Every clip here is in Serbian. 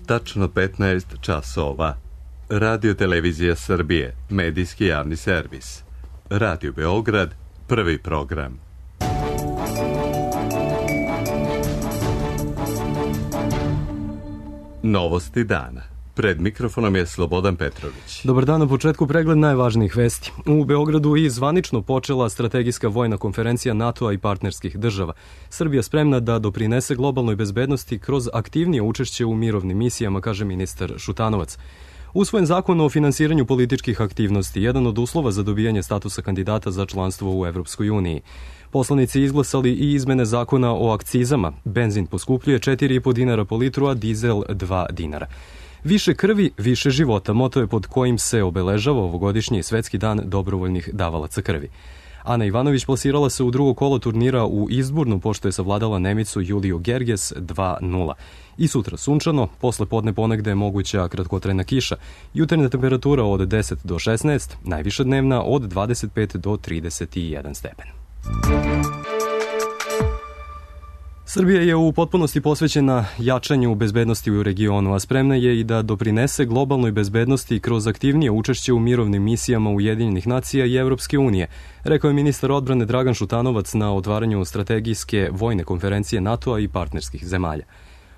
Tačno 15 časova. Radio Televizija Srbije, medijski javni servis. Radio Beograd, prvi program. Novosti dana. Pred mikrofonom je Slobodan Petrović. Dobar dan, na početku pregled najvažnijih vesti. U Beogradu je zvanično počela strategijska vojna konferencija NATO-a i partnerskih država. Srbija spremna da doprinese globalnoj bezbednosti kroz aktivnije učešće u mirovnim misijama, kaže ministar Šutanovac. Usvojen zakon o finansiranju političkih aktivnosti, jedan od uslova za dobijanje statusa kandidata za članstvo u Evropskoj uniji. Poslanici izglasali i izmene zakona o akcizama. Benzin poskupljuje 4,5 dinara po litru, a dizel 2 dinara. Više krvi, više života, moto je pod kojim se obeležava ovogodišnji Svetski dan dobrovoljnih davalaca krvi. Ana Ivanović plasirala se u drugo kolo turnira u Izburnu, pošto je savladala Nemicu Juliju Gerges 2:0. I sutra sunčano, posle podne ponegde je moguća kratkotrajna kiša. Jutarnja temperatura od 10 do 16, najviša dnevna od 25 do 31 stepen. Srbija je u potpunosti posvećena jačanju bezbednosti u regionu, a spremna je i da doprinese globalnoj bezbednosti kroz aktivnije učešće u mirovnim misijama Ujedinjenih nacija i Evropske unije, rekao je ministar odbrane Dragan Šutanovac na otvaranju strategijske vojne konferencije NATO-a i partnerskih zemalja.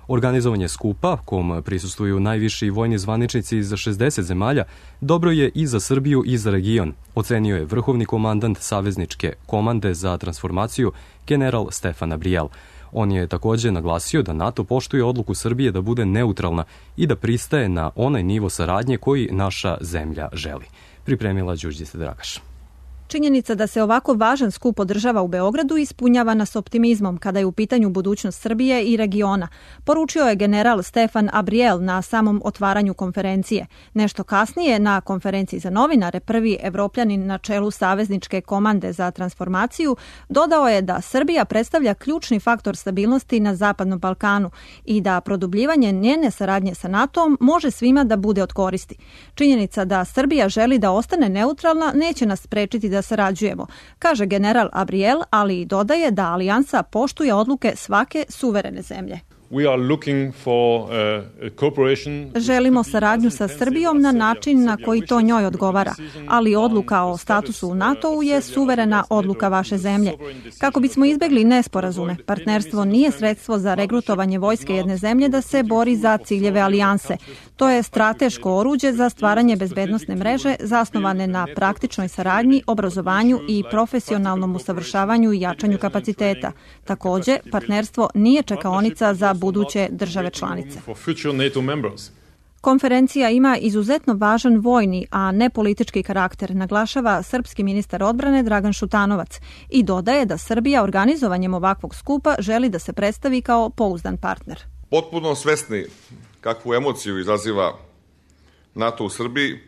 Organizovanje skupa, kom prisustvuju najviši vojni zvaničnici iz 60 zemalja, dobro je i za Srbiju i za region, ocenio je vrhovni komandant Savezničke komande za transformaciju, general Stefan Abriel. On je takođe naglasio da NATO poštuje odluku Srbije da bude neutralna i da pristaje na onaj nivo saradnje koji naša zemlja želi. Pripremila Đurđica Dragaš. Činjenica da se ovako važan skup održava u Beogradu ispunjava nas optimizmom kada je u pitanju budućnost Srbije i regiona, poručio je general Stefan Abriel na samom otvaranju konferencije. Nešto kasnije, na konferenciji za novinare, prvi Evropljanin na čelu Savezničke komande za transformaciju dodao je da Srbija predstavlja ključni faktor stabilnosti na Zapadnom Balkanu i da produbljivanje njene saradnje sa NATO-om može svima da bude od koristi. Činjenica da Srbija želi da ostane neutralna neće nas sprečiti da sarađujemo, kaže general Abriel, ali i dodaje da alijansa poštuje odluke svake suverene zemlje. Želimo saradnju sa Srbijom na način na koji to njoj odgovara, ali odluka o statusu u NATO-u je suverena odluka vaše zemlje. Kako bismo izbegli nesporazume, partnerstvo nije sredstvo za regrutovanje vojske jedne zemlje da se bori za ciljeve alijanse. To je strateško oruđe za stvaranje bezbednosne mreže zasnovane na praktičnoj saradnji, obrazovanju i profesionalnom usavršavanju i jačanju kapaciteta. Takođe, partnerstvo nije čekaonica za buduće države članice. Konferencija ima izuzetno važan vojni, a ne politički karakter, naglašava srpski ministar odbrane Dragan Šutanovac i dodaje da Srbija organizovanjem ovakvog skupa želi da se predstavi kao pouzdan partner. Potpuno svesni kakvu emociju izaziva NATO u Srbiji,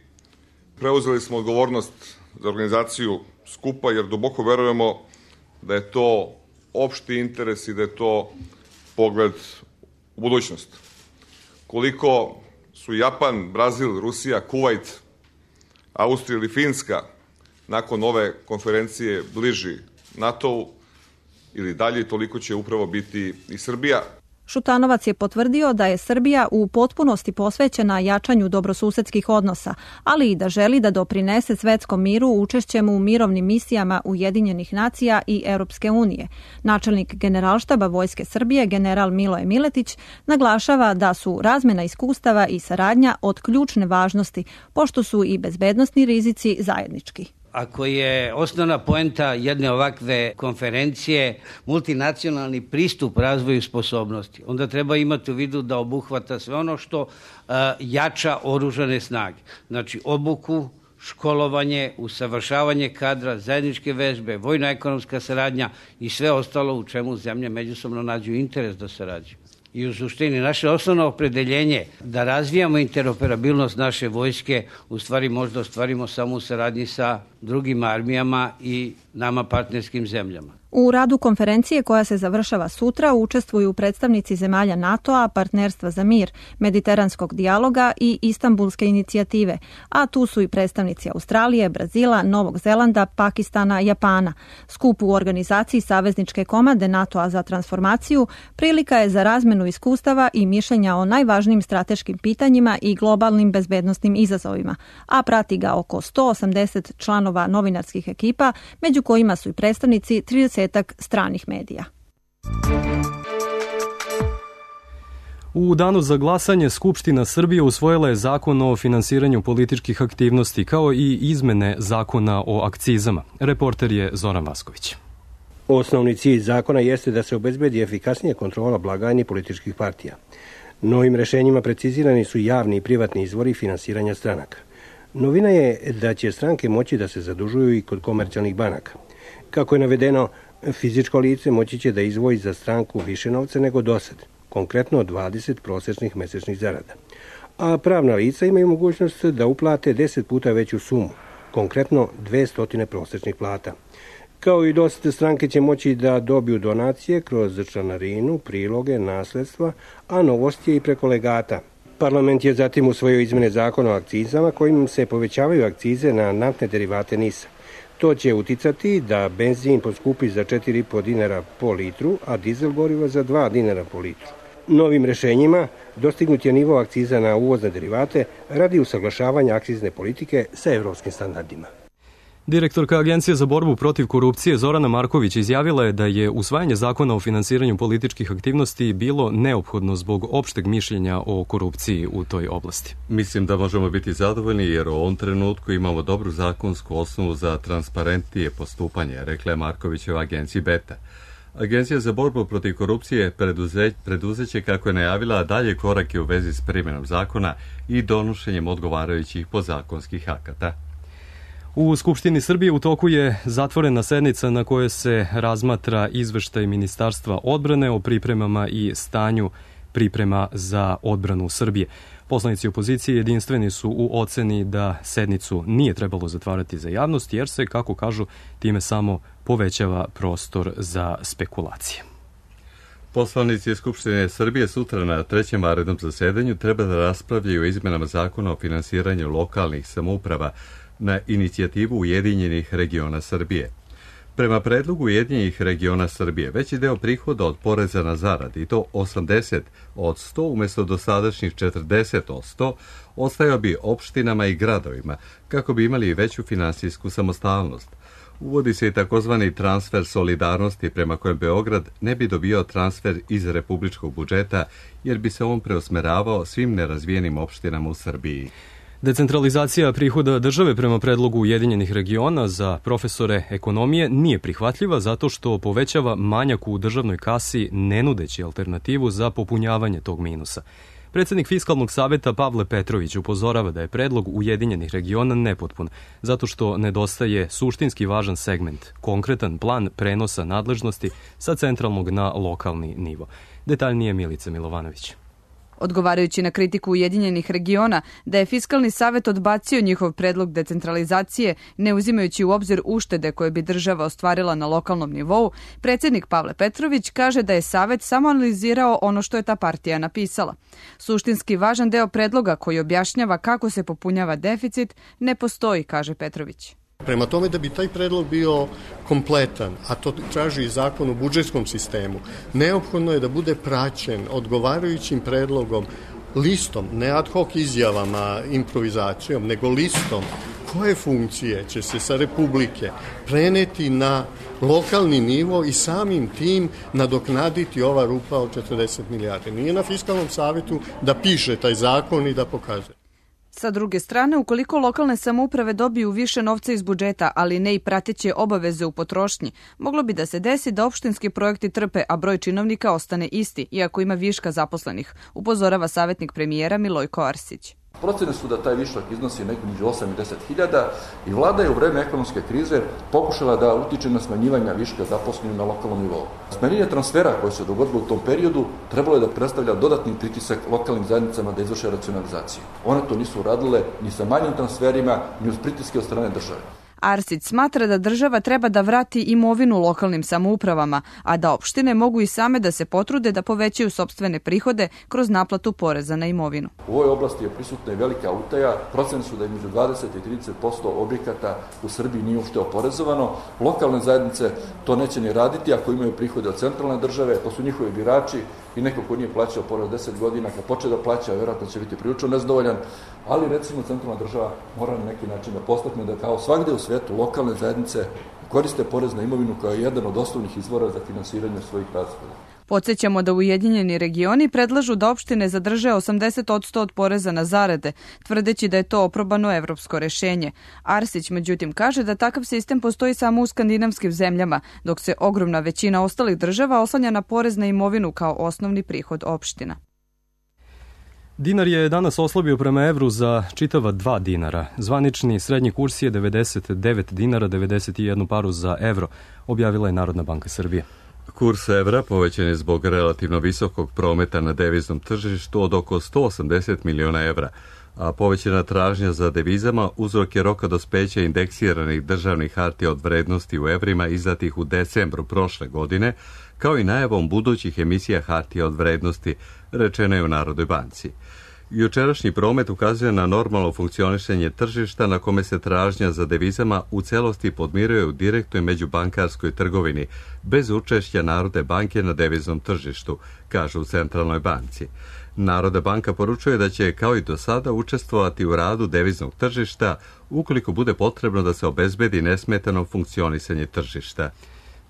preuzeli smo odgovornost za organizaciju skupa jer duboko verujemo da je to opšti interes i da je to pogled u budućnost. Koliko su Japan, Brazil, Rusija, Kuvajt, Austrija ili Finska nakon ove konferencije bliži NATO-u ili dalje, toliko će upravo biti i Srbija. Šutanovac je potvrdio da je Srbija u potpunosti posvećena jačanju dobrosusedskih odnosa, ali i da želi da doprinese svetskom miru učešćem u mirovnim misijama Ujedinjenih nacija i Europske unije. Načelnik Generalštaba Vojske Srbije, general Miloje Miletić, naglašava da su razmena iskustava i saradnja od ključne važnosti, pošto su i bezbednosni rizici zajednički. Ako je osnovna poenta jedne ovakve konferencije multinacionalni pristup razvoju sposobnosti, onda treba imati u vidu da obuhvata sve ono što jača oružane snage. Znači obuku, školovanje, usavršavanje kadra, zajedničke vežbe, vojno-ekonomska saradnja i sve ostalo u čemu zemlje međusobno nađu interes da sarađuju. I u suštini naše osnovno opredeljenje da razvijamo interoperabilnost naše vojske u stvari možda ostvarimo samo u saradnji sa drugim armijama i nama partnerskim zemljama. U radu konferencije koja se završava sutra učestvuju predstavnici zemalja NATO-a, Partnerstva za mir, Mediteranskog dijaloga i Istanbulske inicijative, a tu su i predstavnici Australije, Brazila, Novog Zelanda, Pakistana, Japana. Skup u organizaciji Savezničke komande NATO-a za transformaciju prilika je za razmenu iskustava i mišljenja o najvažnijim strateškim pitanjima i globalnim bezbednosnim izazovima, a prati ga oko 180 članova novinarskih ekipa, među kojima su i predstavnici 30 stranih medija. U danu za glasanje Skupština Srbije usvojila je zakon o finansiranju političkih aktivnosti kao i izmene zakona o akcizama. Reporter je Zoran Vasković. Osnovni cilj zakona jeste da se obezbedi efikasnija kontrola blagajni političkih partija. Novim rešenjima precizirani su javni i privatni izvori finansiranja stranaka. Novina je da će stranke moći da se zadužuju i kod komercijalnih banaka. Kako je navedeno, fizičko lice moći će da izdvoji za stranku više novca nego dosad, konkretno 20 prosečnih mesečnih zarada. A pravna lica imaju mogućnost da uplate 10 puta veću sumu, konkretno 200 prosečnih plata. Kao i dosad, stranke će moći da dobiju donacije kroz članarinu, priloge, nasledstva, a novost je i preko legata. Parlament je zatim usvojio izmene zakona o akcizama kojim se povećavaju akcize na naftne derivate NIS-a. To će uticati da benzin poskupi za 4,5 dinara po litru, a dizel goriva za 2 dinara po litru. Novim rešenjima dostignut je nivo akciza na uvozne derivate radi usaglašavanja akcizne politike sa evropskim standardima. Direktorka Agencije za borbu protiv korupcije Zorana Marković izjavila je da je usvajanje zakona o finansiranju političkih aktivnosti bilo neophodno zbog opšteg mišljenja o korupciji u toj oblasti. Mislim da možemo biti zadovoljni jer u ovom trenutku imamo dobru zakonsku osnovu za transparentnije postupanje, rekla je Markovićeva agenciji Beta. Agencija za borbu protiv korupcije preduzeće, kako je najavila, dalje korake u vezi s primjenom zakona i donošenjem odgovarajućih podzakonskih akata. U Skupštini Srbije u toku je zatvorena sednica na kojoj se razmatra izveštaj Ministarstva odbrane o pripremama i stanju priprema za odbranu Srbije. Poslanici opozicije jedinstveni su u oceni da sednicu nije trebalo zatvarati za javnost jer se, kako kažu, time samo povećava prostor za spekulacije. Poslanici Skupštine Srbije sutra na 3. vanrednom zasedanju treba da raspravljaju o izmenama zakona o finansiranju lokalnih samouprava na inicijativu Ujedinjenih regiona Srbije. Prema predlogu Ujedinjenih regiona Srbije, veći deo prihoda od poreza na zarade, i to 80 od 100 umjesto dosadašnjih 40 od 100, ostajao bi opštinama i gradovima, kako bi imali veću finansijsku samostalnost. Uvodi se i takozvani transfer solidarnosti prema kojem Beograd ne bi dobio transfer iz republičkog budžeta, jer bi se on preusmeravao svim nerazvijenim opštinama u Srbiji. Decentralizacija prihoda države prema predlogu Ujedinjenih regiona za profesore ekonomije nije prihvatljiva zato što povećava manjak u državnoj kasi ne nudeći alternativu za popunjavanje tog minusa. Predsednik Fiskalnog saveta Pavle Petrović upozorava da je predlog Ujedinjenih regiona nepotpun, zato što nedostaje suštinski važan segment, konkretan plan prenosa nadležnosti sa centralnog na lokalni nivo. Detaljnije Milica Milovanović. Odgovarajući na kritiku Ujedinjenih regiona da je Fiskalni savet odbacio njihov predlog decentralizacije, ne uzimajući u obzir uštede koje bi država ostvarila na lokalnom nivou, predsednik Pavle Petrović kaže da je savet samo analizirao ono što je ta partija napisala. Suštinski važan deo predloga koji objašnjava kako se popunjava deficit ne postoji, kaže Petrović. Prema tome, da bi taj predlog bio kompletan, a to traži i zakon o budžetskom sistemu, neophodno je da bude praćen odgovarajućim predlogom, listom, ne ad hoc izjavama, improvizacijom, nego listom koje funkcije će se sa Republike preneti na lokalni nivo i samim tim nadoknaditi ova rupa od 40 milijardi. Nije na Fiskalnom savetu da piše taj zakon i da pokazuje. Sa druge strane, ukoliko lokalne samouprave dobiju više novca iz budžeta, ali ne i prateće obaveze u potrošnji, moglo bi da se desi da opštinski projekti trpe, a broj činovnika ostane isti, iako ima viška zaposlenih, upozorava savjetnik premijera Milojko Arsić. Procene su da taj višak iznosi nekako među 8 i 10 hiljada i vlada je u vreme ekonomske krize pokušala da utiče na smanjivanje viška zaposlenih na lokalnom nivou. Smanjenje transfera koje se dogodilo u tom periodu trebalo je da predstavlja dodatni pritisak lokalnim zajednicama da izvrše racionalizaciju. One to nisu uradile ni sa manjim transferima, ni uz pritiske od strane države. Arsić smatra da država treba da vrati imovinu lokalnim samoupravama, a da opštine mogu i same da se potrude da povećaju sopstvene prihode kroz naplatu poreza na imovinu. U ovoj oblasti je prisutna i velika utaja. Procene su da između 20 i 30% objekata u Srbiji nije uopšte oporezovano. Lokalne zajednice to neće ni raditi ako imaju prihode od centralne države, to su njihovi birači i neko ko nije plaćao porez 10 godina, kad počne da plaća, vjerojatno će biti prilično nezadovoljan, ali recimo centralna država mora na neki način da postakne da kao svagde u svetu lokalne zajednice koriste porez na imovinu kao jedan od osnovnih izvora za finansiranje svojih rashoda. Podsjećamo da Ujedinjeni regioni predlažu da opštine zadrže 80% od poreza na zarade, tvrdeći da je to oprobano evropsko rešenje. Arsić međutim kaže da takav sistem postoji samo u skandinavskim zemljama, dok se ogromna većina ostalih država oslanja na porez na imovinu kao osnovni prihod opština. Dinar je danas oslabio prema evru za čitava 2 dinara. Zvanični srednji kurs je 99 dinara 91 paru za evro, objavila je Narodna banka Srbije. Kurs evra povećan je zbog relativno visokog prometa na deviznom tržištu od oko 180 miliona evra, a povećana tražnja za devizama uzrok je roka dospeća indeksiranih državnih hartija od vrednosti u evrima izdatih u decembru prošle godine, kao i najavom budućih emisija hartija od vrednosti, rečeno je u Narodnoj banci. Jučerašnji promet ukazuje na normalno funkcionišenje tržišta na kome se tražnja za devizama u celosti podmiruje u direktnoj međubankarskoj trgovini, bez učešća Narodne banke na deviznom tržištu, kaže u Centralnoj banci. Narodna banka poručuje da će, kao i do sada, učestvovati u radu deviznog tržišta ukoliko bude potrebno da se obezbedi nesmetano funkcionisanje tržišta.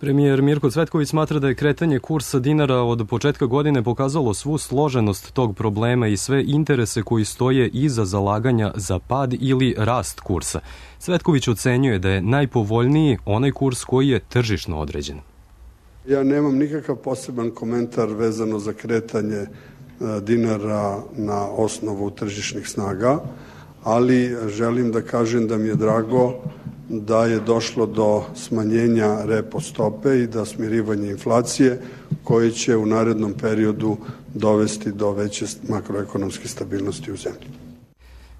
Premijer Mirko Cvetković smatra da je kretanje kursa dinara od početka godine pokazalo svu složenost tog problema i sve interese koji stoje iza zalaganja za pad ili rast kursa. Cvetković ocenjuje da je najpovoljniji onaj kurs koji je tržišno određen. Ja nemam nikakav poseban komentar vezano za kretanje dinara na osnovu tržišnih snaga, ali želim da kažem da mi je drago da je došlo do smanjenja repo stope i da smirivanje inflacije koje će u narednom periodu dovesti do veće makroekonomske stabilnosti u zemlji.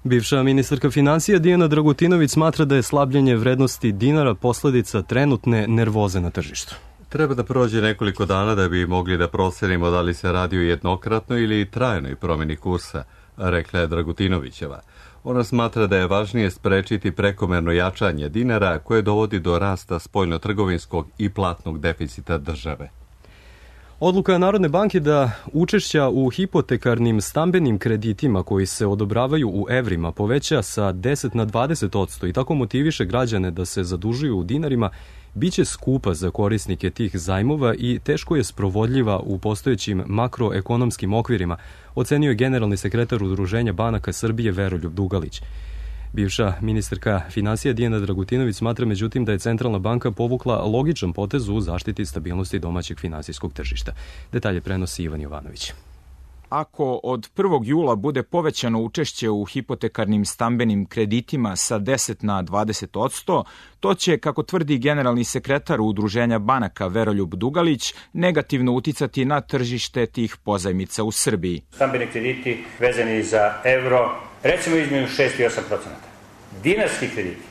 Bivša ministarka financija Dijana Dragutinović smatra da je slabljenje vrednosti dinara posledica trenutne nervoze na tržištu. Treba da prođe nekoliko dana da bi mogli da procenimo da li se radi o jednokratnoj ili trajnoj promjeni kursa, rekla je Dragutinovićeva. Ona smatra da je važnije sprečiti prekomerno jačanje dinara koje dovodi do rasta spoljnotrgovinskog i platnog deficita države. Odluka Narodne banke da učešća u hipotekarnim stambenim kreditima koji se odobravaju u evrima poveća sa 10 na 20% i tako motiviše građane da se zadužuju u dinarima, biće skupa za korisnike tih zajmova i teško je sprovodljiva u postojećim makroekonomskim okvirima, ocenio je generalni sekretar Udruženja banaka Srbije Veroljub Dugalić. Bivša ministarka financija Dijana Dragutinović smatra međutim da je Centralna banka povukla logičan potez u zaštiti stabilnosti domaćeg finansijskog tržišta. Detalje prenosi Ivan Jovanović. Ako od 1. jula bude povećano učešće u hipotekarnim stambenim kreditima sa 10 na 20%, to će, kako tvrdi generalni sekretar Udruženja banaka Veroljub Dugalić, negativno uticati na tržište tih pozajmica u Srbiji. Stambeni krediti vezani za evro, recimo između 6 i 8%. Dinarski krediti,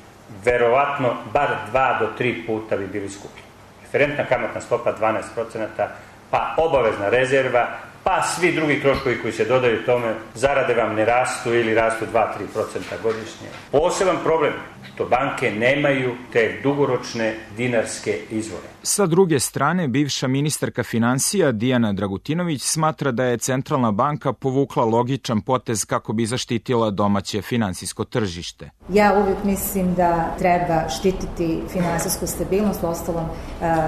verovatno bar 2 do 3 puta bi bili skuplji. Referentna kamatna stopa 12%, pa obavezna rezerva, pa svi drugi troškovi koji se dodaju tome, zarade vam ne rastu ili rastu 2-3% godišnje. Poseban problem što banke nemaju te dugoročne dinarske izvore. Sa druge strane, bivša ministarka financija Dijana Dragutinović smatra da je Centralna banka povukla logičan potez kako bi zaštitila domaće finansijsko tržište. Ja uvijek mislim da treba štititi finansijsku stabilnost, uostalom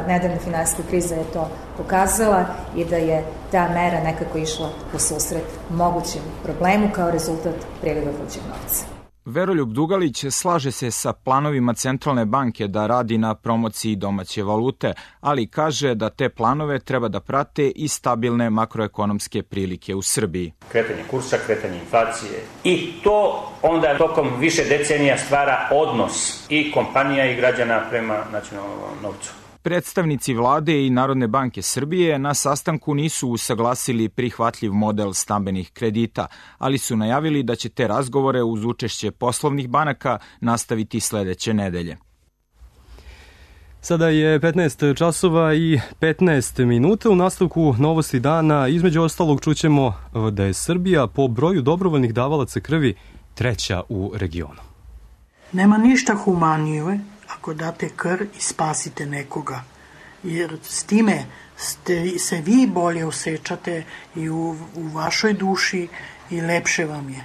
nedavna finansijska kriza je to pokazala i da je ta mera nekako išla u susret mogućem problemu kao rezultat priliva vrućeg novca. Veroljub Dugalić slaže se sa planovima Centralne banke da radi na promociji domaće valute, ali kaže da te planove treba da prate i stabilne makroekonomske prilike u Srbiji. Kretanje kursa, kretanje inflacije i to onda tokom više decenija stvara odnos i kompanija i građana prema nacionalnom novcu. Predstavnici vlade i Narodne banke Srbije na sastanku nisu usaglasili prihvatljiv model stambenih kredita, ali su najavili da će te razgovore uz učešće poslovnih banaka nastaviti sledeće nedelje. Sada je 15 časova i 15 minuta. U nastavku novosti dana između ostalog čućemo da je Srbija po broju dobrovoljnih davalaca krvi treća u regionu. Nema ništa humanije ako date krv i spasite nekoga, jer s time se vi bolje osjećate i u vašoj duši i lepše vam je.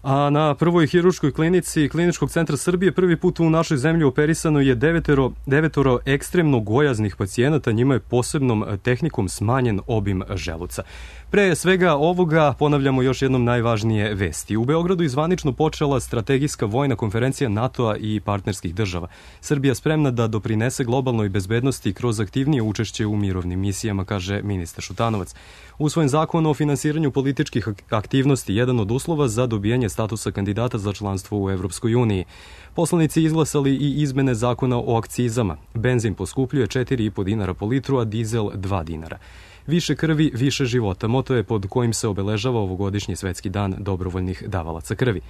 A na prvoj hiruškoj klinici Kliničkog centra Srbije prvi put u našoj zemlji operisano je devetoro ekstremno gojaznih pacijenata, njima je posebnom tehnikom smanjen obim želuca. Pre svega ovoga ponavljamo još jednom najvažnije vesti. U Beogradu je zvanično počela strategijska vojna konferencija NATO-a i partnerskih država. Srbija spremna da doprinese globalnoj bezbednosti kroz aktivnije učešće u mirovnim misijama, kaže ministar Šutanovac. Usvojen zakon o finansiranju političkih aktivnosti, jedan od uslova za dobijanje statusa kandidata za članstvo u Evropskoj uniji. Poslanici izglasali i izmene zakona o akcizama. Benzin poskupljuje 4,5 dinara po litru, a dizel 2 dinara. Više krvi, više života. Moto je pod kojim se obeležava ovogodišnji svetski dan dobrovoljnih davalaca krvi.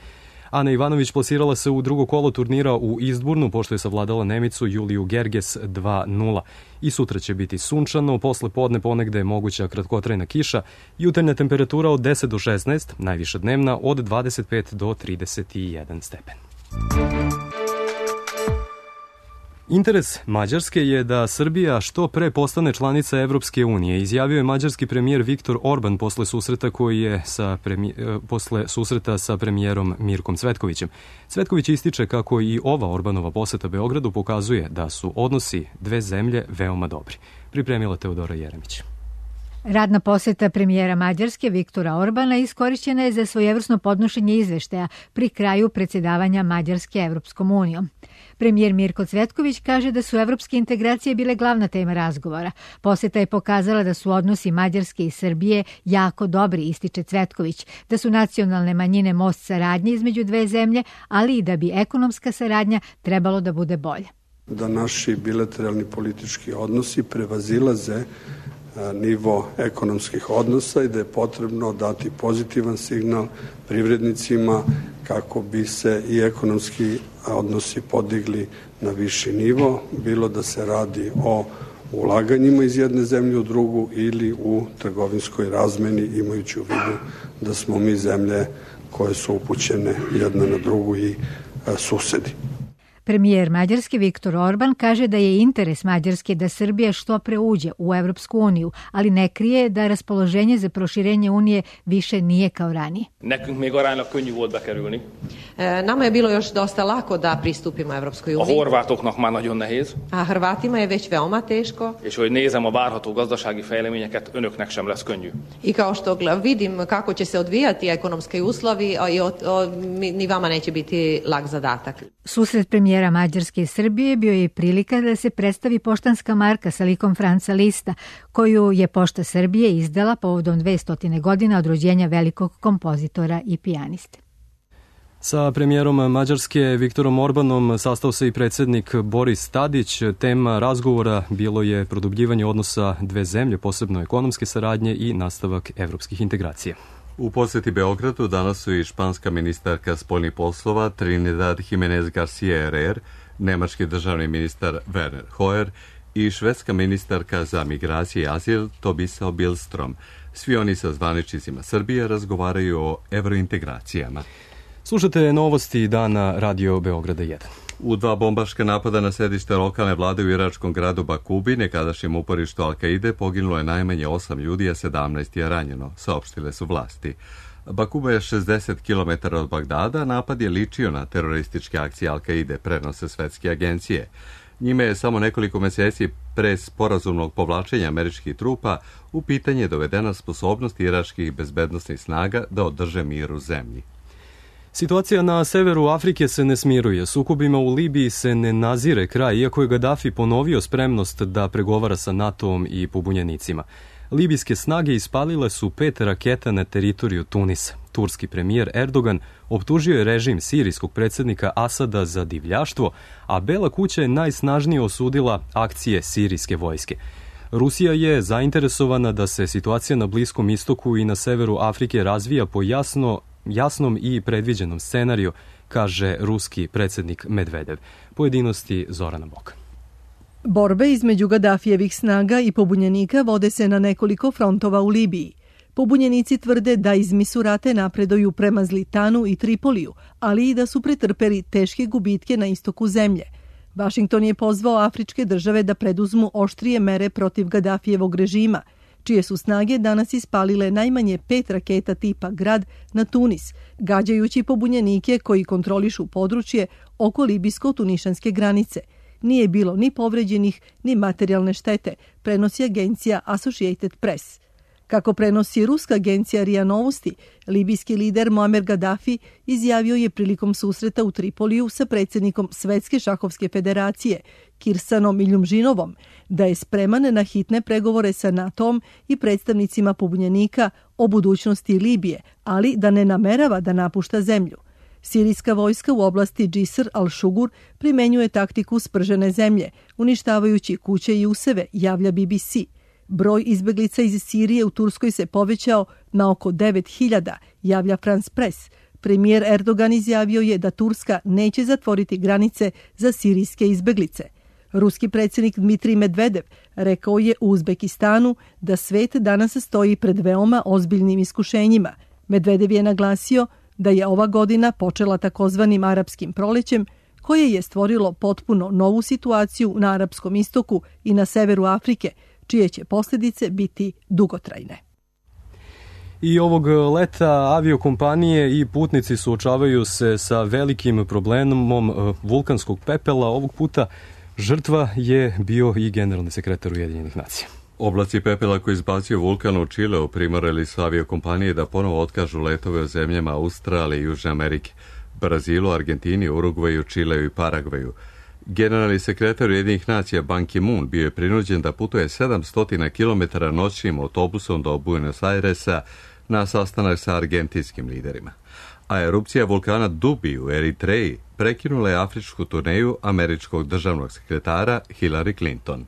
Ana Ivanović plasirala se u drugo kolo turnira u Eastbournu, pošto je savladala Nemicu Juliju Gerges 2:0. I sutra će biti sunčano, posle podne ponegde je moguća kratkotrajna kiša, jutarnja temperatura od 10 do 16, najviša dnevna od 25 do 31 stepen. Interes Mađarske je da Srbija što pre postane članica Evropske unije, izjavio je mađarski premijer Viktor Orban posle susreta sa premijerom Mirkom Cvetkovićem. Cvetković ističe kako i ova Orbanova poseta Beogradu pokazuje da su odnosi dve zemlje veoma dobri. Pripremila Teodora Jeremić. Radna poseta premijera Mađarske Viktora Orbana iskorišćena je za svojevrsno podnošenje izveštaja pri kraju predsjedavanja Mađarske Evropskom unijom. Premijer Mirko Cvetković kaže da su evropske integracije bile glavna tema razgovora. Poseta je pokazala da su odnosi Mađarske i Srbije jako dobri, ističe Cvetković, da su nacionalne manjine most saradnje između dve zemlje, ali i da bi ekonomska saradnja trebalo da bude bolja. Da naši bilateralni politički odnosi prevazilaze nivo ekonomskih odnosa i da je potrebno dati pozitivan signal privrednicima kako bi se i ekonomski odnosi podigli na viši nivo, bilo da se radi o ulaganjima iz jedne zemlje u drugu ili u trgovinskoj razmeni, imajući u vidu da smo mi zemlje koje su upućene jedna na drugu i susedi. Premijer Mađarske Viktor Orban kaže da je interes Mađarske da Srbija što pre uđe u Evropsku uniju, ali ne krije da raspoloženje za proširenje unije više nije kao ranije. Nama je bilo još dosta lako da pristupimo Evropskoj uniji. A Hrvatima je već veoma teško. I kao što vidim kako će se odvijati ekonomski uslovi, ni vama neće biti lak zadatak. Susret premijera Mađarske i Srbije bio je prilika da se predstavi poštanska marka sa likom Franca Lista, koju je Pošta Srbije izdala povodom 200 godina od rođenja velikog kompozitora i pijaniste. Sa premijerom Mađarske Viktorom Orbanom sastao se i predsjednik Boris Tadić. Tema razgovora bilo je produbljivanje odnosa dve zemlje, posebno ekonomske saradnje i nastavak evropskih integracija. U posjeti Beogradu danas su i španska ministarka spoljnih poslova Trinidad Jimenez Garcia Herrera, nemački državni ministar Werner Hoyer i švedska ministarka za migracije i azil Tobisa Billström. Svi oni sa zvaničnicima Srbije razgovaraju o evrointegracijama. Slušate novosti dana Radio Beograda 1. U dva bombaška napada na sedište lokalne vlade u iračkom gradu Bakubi, nekadašnjem uporištu Al-Kaide, poginulo je najmanje 8 ljudi, a 17 je ranjeno, saopštile su vlasti. Bakuba je 60 km od Bagdada, napad je ličio na terorističke akcije Al-Kaide, prenose svetske agencije. Njime je samo nekoliko meseci pre sporazumnog povlačenja američkih trupa u pitanje dovedena sposobnost iračkih bezbednosnih snaga da održe mir u zemlji. Situacija na severu Afrike se ne smiruje. Sukobima u Libiji se ne nazire kraj, iako je Gaddafi ponovio spremnost da pregovara sa NATO-om i pobunjenicima. Libijske snage ispalile su 5 raketa na teritoriju Tunisa. Turski premijer Erdogan optužio je režim sirijskog predsjednika Asada za divljaštvo, a Bela kuća je najsnažnije osudila akcije sirijske vojske. Rusija je zainteresovana da se situacija na Bliskom istoku i na severu Afrike razvija po jasnom i predviđenom scenariju, kaže ruski predsjednik Medvedev. Pojedinosti Zorana Boka. Borbe između Gadafijevih snaga i pobunjenika vode se na nekoliko frontova u Libiji. Pobunjenici tvrde da iz Misurate napreduju prema Zlitanu i Tripoliju, ali i da su pretrpeli teške gubitke na istoku zemlje. Vašington je pozvao afričke države da preduzmu oštrije mere protiv Gadafijevog režima, čije su snage danas ispalile najmanje 5 raketa tipa Grad na Tunis, gađajući pobunjenike koji kontrolišu područje oko libijsko-tunišanske granice. Nije bilo ni povređenih, ni materijalne štete, prenosi agencija Associated Press. Kako prenosi ruska agencija RIA Novosti, libijski lider Muammar Gaddafi izjavio je prilikom susreta u Tripoliju sa predsjednikom Svetske šahovske federacije, Kirsanom Iljumžinovom, da je spreman na hitne pregovore sa NATO-om i predstavnicima pobunjenika o budućnosti Libije, ali da ne namerava da napušta zemlju. Sirijska vojska u oblasti Džisr al-Šugur primenjuje taktiku spržene zemlje, uništavajući kuće i useve, javlja BBC. Broj izbeglica iz Sirije u Turskoj se povećao na oko 9.000, javlja France Press. Premijer Erdogan izjavio je da Turska neće zatvoriti granice za sirijske izbeglice. Ruski predsjednik Dmitrij Medvedev rekao je u Uzbekistanu da svet danas stoji pred veoma ozbiljnim iskušenjima. Medvedev je naglasio da je ova godina počela takozvanim arapskim prolećem, koje je stvorilo potpuno novu situaciju na Arapskom istoku i na severu Afrike, čije će posljedice biti dugotrajne. I ovog leta aviokompanije i putnici suočavaju se sa velikim problemom vulkanskog pepela. Ovog puta žrtva je bio i generalni sekretar Ujedinjenih nacija. Oblaci pepela koji izbacio vulkan u Čileu primorali su aviokompanije da ponovo otkažu letove u zemljama Australije i Južne Amerike, Brazilu, Argentini, Urugvaju, Čileu i Paragvaju. Generalni sekretar Ujedinjenih nacija Ban Ki-moon bio je prinuđen da putuje 700 km noćnim autobusom do Buenos Airesa na sastanak sa argentinskim liderima. A erupcija vulkana Dubi u Eritreji prekinula je afričku turneju američkog državnog sekretara Hillary Clinton.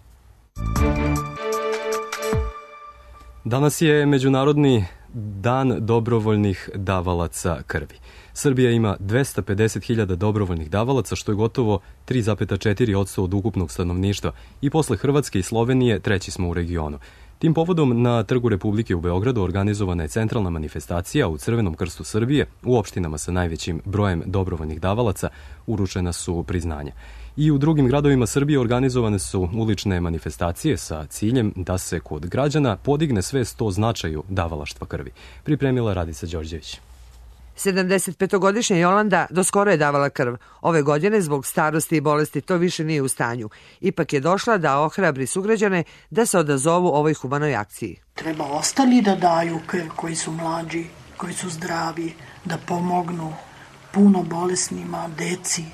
Danas je Međunarodni dan dobrovoljnih davalaca krvi. Srbija ima 250.000 dobrovoljnih davalaca, što je gotovo 3,4% od ukupnog stanovništva i posle Hrvatske i Slovenije treći smo u regionu. Tim povodom na Trgu Republike u Beogradu organizovana je centralna manifestacija u Crvenom krstu Srbije. U opštinama sa najvećim brojem dobrovoljnih davalaca uručena su priznanja. I u drugim gradovima Srbije organizovane su ulične manifestacije sa ciljem da se kod građana podigne svest o značaju davalaštva krvi. Pripremila Radica Đorđević. 75-godišnja Jolanda doskoro je davala krv. Ove godine zbog starosti i bolesti to više nije u stanju. Ipak je došla da ohrabri sugrađane da se odazovu ovoj humanoj akciji. Treba ostali da daju krv, koji su mlađi, koji su zdravi, da pomognu puno bolesnima, deci.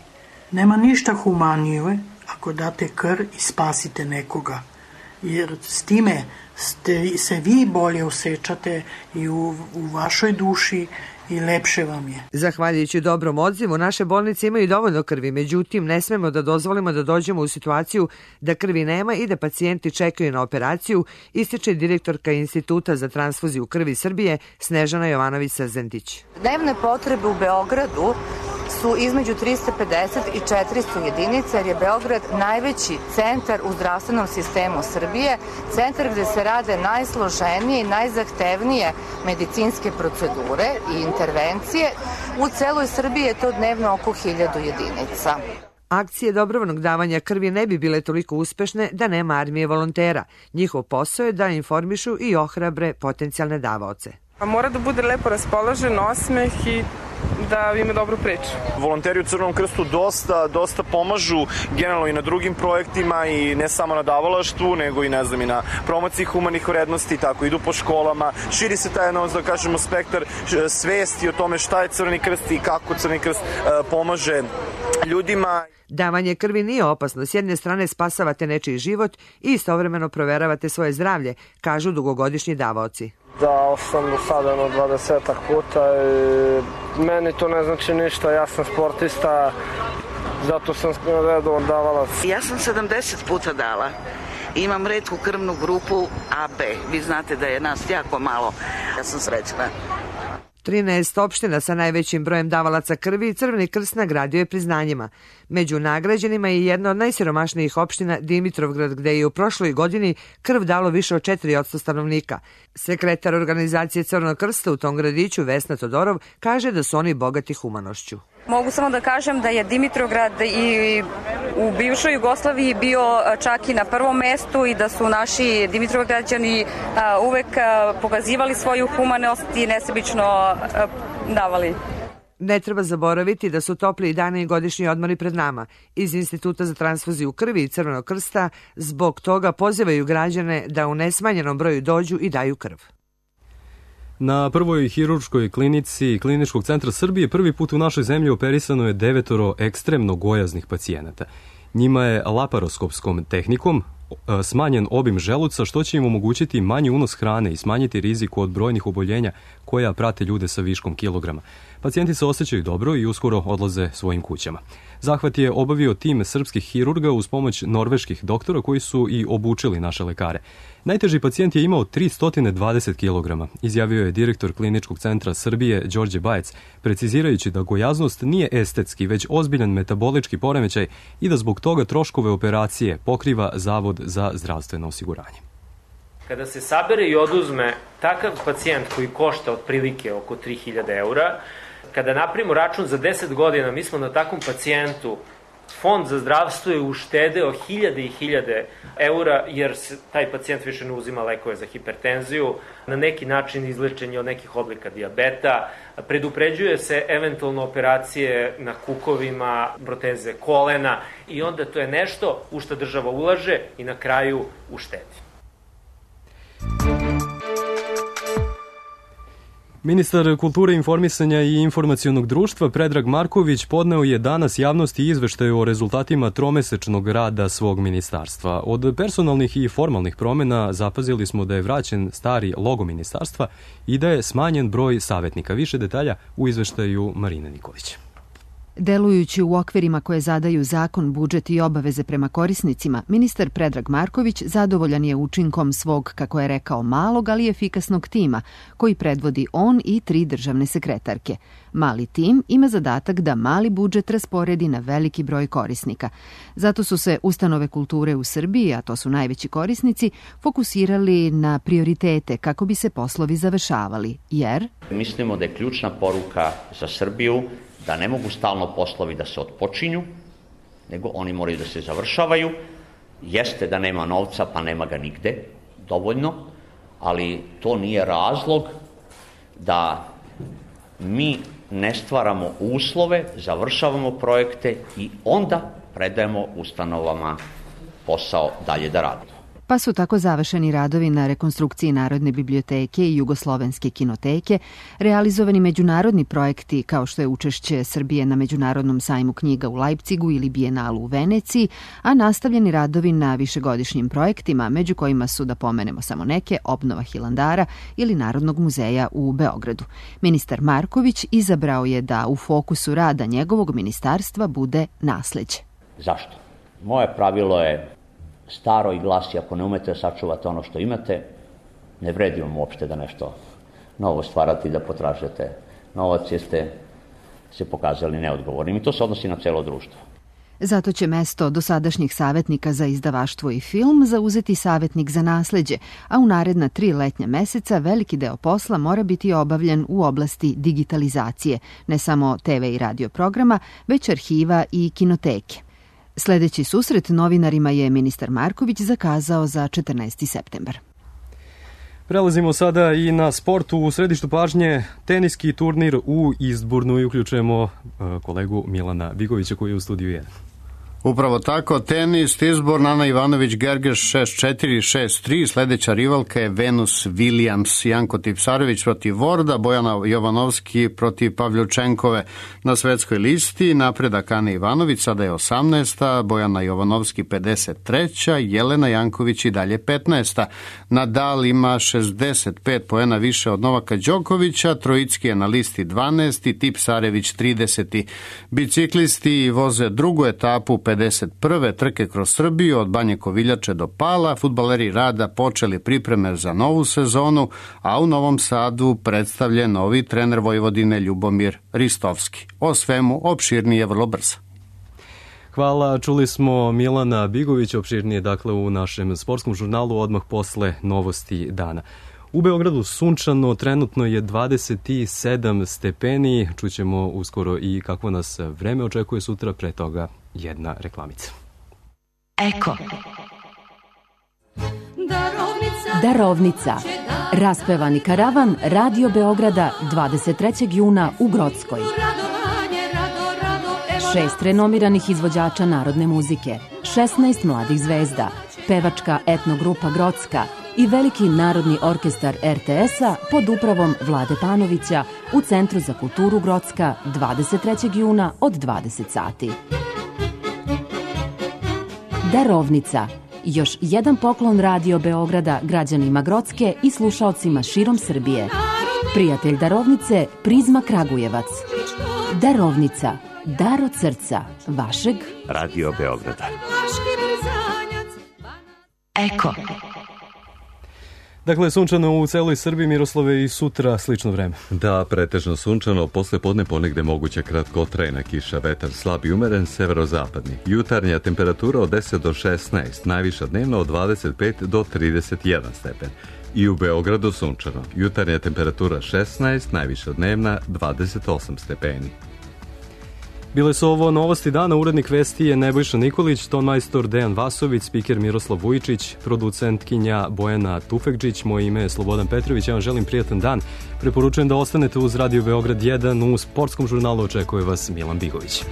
Nema ništa humanije ako date krv i spasite nekoga. Jer s time se vi bolje osjećate i u vašoj duši i lepše vam je. Zahvaljujući dobrom odzivu, naše bolnice imaju dovoljno krvi, međutim ne smemo da dozvolimo da dođemo u situaciju da krvi nema i da pacijenti čekaju na operaciju, ističe direktorka Instituta za transfuziju krvi Srbije Snežana Jovanović-Srzendić. Dnevne potrebe u Beogradu su između 350 i 400 jedinica, jer je Beograd najveći centar u zdravstvenom sistemu Srbije, centar gde se rade najsloženije i najzahtevnije medicinske procedure i intervencije. U celoj Srbiji je to dnevno oko 1000 jedinica. Akcije dobrovoljnog davanja krvi ne bi bile toliko uspešne da nema armije volontera. Njihov posao je da informišu i ohrabre potencijalne davaoce. Mora da bude lepo raspoložen, osmeh i da ima dobru priču. Volonteri u Crvenom krstu dosta pomažu generalno i na drugim projektima i ne samo na davalaštvu, nego i i na promociji humanih vrednosti, tako idu po školama, širi se taj da kažemo spektar svesti o tome šta je Crveni krst i kako Crveni krst pomaže ljudima. Davanje krvi nije opasno. S jedne strane spasavate nečiji život i istovremeno proveravate svoje zdravlje, kažu dugogodišnji davaoci. Dao sam do sada 20 puta i meni to ne znači ništa, ja sam sportista, zato sam redovan davalac. Ja sam 70 puta dala. Imam retku krvnu grupu AB. Vi znate da je nas jako malo. Ja sam srećna. 13 opština sa najvećim brojem davalaca krvi i Crveni krst nagradio je priznanjima. Među nagrađenima je jedna od najsiromašnijih opština Dimitrovgrad, gde je u prošloj godini krv dalo više od 4% stanovnika. Sekretar organizacije Crvenog krsta u tom gradiću, Vesna Todorov, kaže da su oni bogati humanošću. Mogu samo da kažem da je Dimitrovgrad i u bivšoj Jugoslaviji bio čak i na prvom mestu i da su naši Dimitrovgrađani uvek pokazivali svoju humanost i nesebično davali. Ne treba zaboraviti da su topli dani i godišnji odmori pred nama. Iz Instituta za transfuziju krvi i Crvenog krsta zbog toga pozivaju građane da u nesmanjenom broju dođu i daju krv. Na prvoj hirurškoj klinici Kliničkog centra Srbije prvi put u našoj zemlji operisano je 9 ekstremno gojaznih pacijenata. Njima je laparoskopskom tehnikom smanjen obim želuca, što će im omogućiti manji unos hrane i smanjiti riziku od brojnih oboljenja koja prate ljude sa viškom kilograma. Pacijenti se osjećaju dobro i uskoro odlaze svojim kućama. Zahvat je obavio tim srpskih hirurga uz pomoć norveških doktora koji su i obučili naše lekare. Najteži pacijent je imao 320 kg, izjavio je direktor Kliničkog centra Srbije Đorđe Bajec, precizirajući da gojaznost nije estetski, već ozbiljan metabolički poremećaj i da zbog toga troškove operacije pokriva Zavod za zdravstveno osiguranje. Kada se sabere i oduzme takav pacijent koji košta otprilike oko 3000 eura, kada napravimo račun za 10 godina, mi smo na takvom pacijentu, Fond za zdravstvo je uštedeo 1000 i 1000 eura, jer taj pacijent više ne uzima lekove za hipertenziju, na neki način izlečenje od nekih oblika dijabeta, predupređuje se eventualno operacije na kukovima, proteze kolena i onda to je nešto u što država ulaže i na kraju uštedi. Ministar kulture, informisanja i informacionog društva Predrag Marković podneo je danas javnosti izveštaj o rezultatima tromesečnog rada svog ministarstva. Od personalnih i formalnih promjena zapazili smo da je vraćen stari logo ministarstva i da je smanjen broj savjetnika. Više detalja u izveštaju Marine Nikolić. Delujući u okvirima koje zadaju zakon, budžet i obaveze prema korisnicima, ministar Predrag Marković zadovoljan je učinkom svog, kako je rekao, malog, ali efikasnog tima, koji predvodi on i 3 državne sekretarke. Mali tim ima zadatak da mali budžet rasporedi na veliki broj korisnika. Zato su se ustanove kulture u Srbiji, a to su najveći korisnici, fokusirali na prioritete kako bi se poslovi završavali, jer... Mislimo da je ključna poruka za Srbiju da ne mogu stalno poslovi da se otpočinju, nego oni moraju da se završavaju. Jeste da nema novca, pa nema ga nigde dovoljno, ali to nije razlog da mi ne stvaramo uslove, završavamo projekte i onda predajemo ustanovama posao dalje da radimo. Pa su tako završeni radovi na rekonstrukciji Narodne biblioteke i Jugoslovenske kinoteke, realizovani međunarodni projekti kao što je učešće Srbije na Međunarodnom sajmu knjiga u Lajpcigu ili Bijenalu u Veneciji, a nastavljeni radovi na višegodišnjim projektima, među kojima su, da pomenemo samo neke, obnova Hilandara ili Narodnog muzeja u Beogradu. Ministar Marković izabrao je da u fokusu rada njegovog ministarstva bude nasleđe. Zašto? Moje pravilo je staro i glasi, ako ne umete sačuvati ono što imate, ne vredi vam uopšte da nešto novo stvarate, da potražujete novac, jer ste se pokazali neodgovornim. I to se odnosi na celo društvo. Zato će mesto dosadašnjih savjetnika za izdavaštvo i film zauzeti savjetnik za nasleđe, a u naredna 3 letnja meseca veliki deo posla mora biti obavljen u oblasti digitalizacije, ne samo TV i radio programa, već arhiva i kinoteke. Sledeći susret novinarima je ministar Marković zakazao za 14. septembar. Prelazimo sada i na sport. U središtu pažnje teniski turnir u Eastbournu i uključujemo kolegu Milana Bigovića koji je u studiju 1. Upravo tako, tenis, Eastbourne, Ana Ivanović, Gergeš 6-4, 6-3, sledeća rivalka je Venus Williams, Janko Tipsarević protiv Vorda, Bojana Jovanovski protiv Pavljučenkove na svetskoj listi, napredak Ane Ivanović, sada je 18. Bojana Jovanovski 53. Jelena Janković i dalje 15. Nadal ima 65 poena više od Novaka Đokovića, Trojicki je na listi 12. Tipsarević 30. Biciklisti voze drugu etapu 51. trke kroz Srbiju od Banje Koviljače do Pala. Fudbaleri Rada počeli pripreme za novu sezonu, a u Novom Sadu predstavljen novi trener Vojvodine Ljubomir Ristovski. O svemu opširnije vrlo brzo. Hvala, čuli smo Milana Bigovića, opširnije dakle u našem sportskom žurnalu odmah posle novosti dana. U Beogradu sunčano, trenutno je 27 stepeni, čućemo uskoro i kako nas vreme očekuje sutra, pre toga jedna reklamica. Eko. Darovnica. Raspevani karavan Radio Beograda 23. juna u Grockoj. 6 renomiranih izvođača narodne muzike, 16 mladih zvezda, pevačka etnogrupa Grocka i veliki narodni orkestar RTS-a pod upravom Vlade Panovića u Centru za kulturu Grocka 23. juna od 20 sati. Darovnica. Još jedan poklon Radio Beograda građanima Grocke i slušaocima širom Srbije. Prijatelj Darovnice, Prizma Kragujevac. Darovnica. Dar od srca vašeg Radio Beograda. Eko. Dakle, sunčano u celoj Srbiji, Miroslave, i sutra slično vreme. Da, pretežno sunčano, posle podne ponegde moguća kratkotrajna kiša, vetar slab i umeren, severozapadni. Jutarnja temperatura od 10 do 16, najviša dnevno od 25 do 31 stepen. I u Beogradu sunčano, jutarnja temperatura 16, najviša dnevna 28 stepeni. Bile su ovo novosti dana, urednik vesti je Nebojša Nikolić, tonmajstor Dejan Vasović, spiker Miroslav Vujičić, producentkinja Bojana Tufekđić, moje ime je Slobodan Petrović, ja vam želim prijatan dan. Preporučujem da ostanete uz Radio Beograd 1, u sportskom žurnalu očekuje vas Milan Bigović.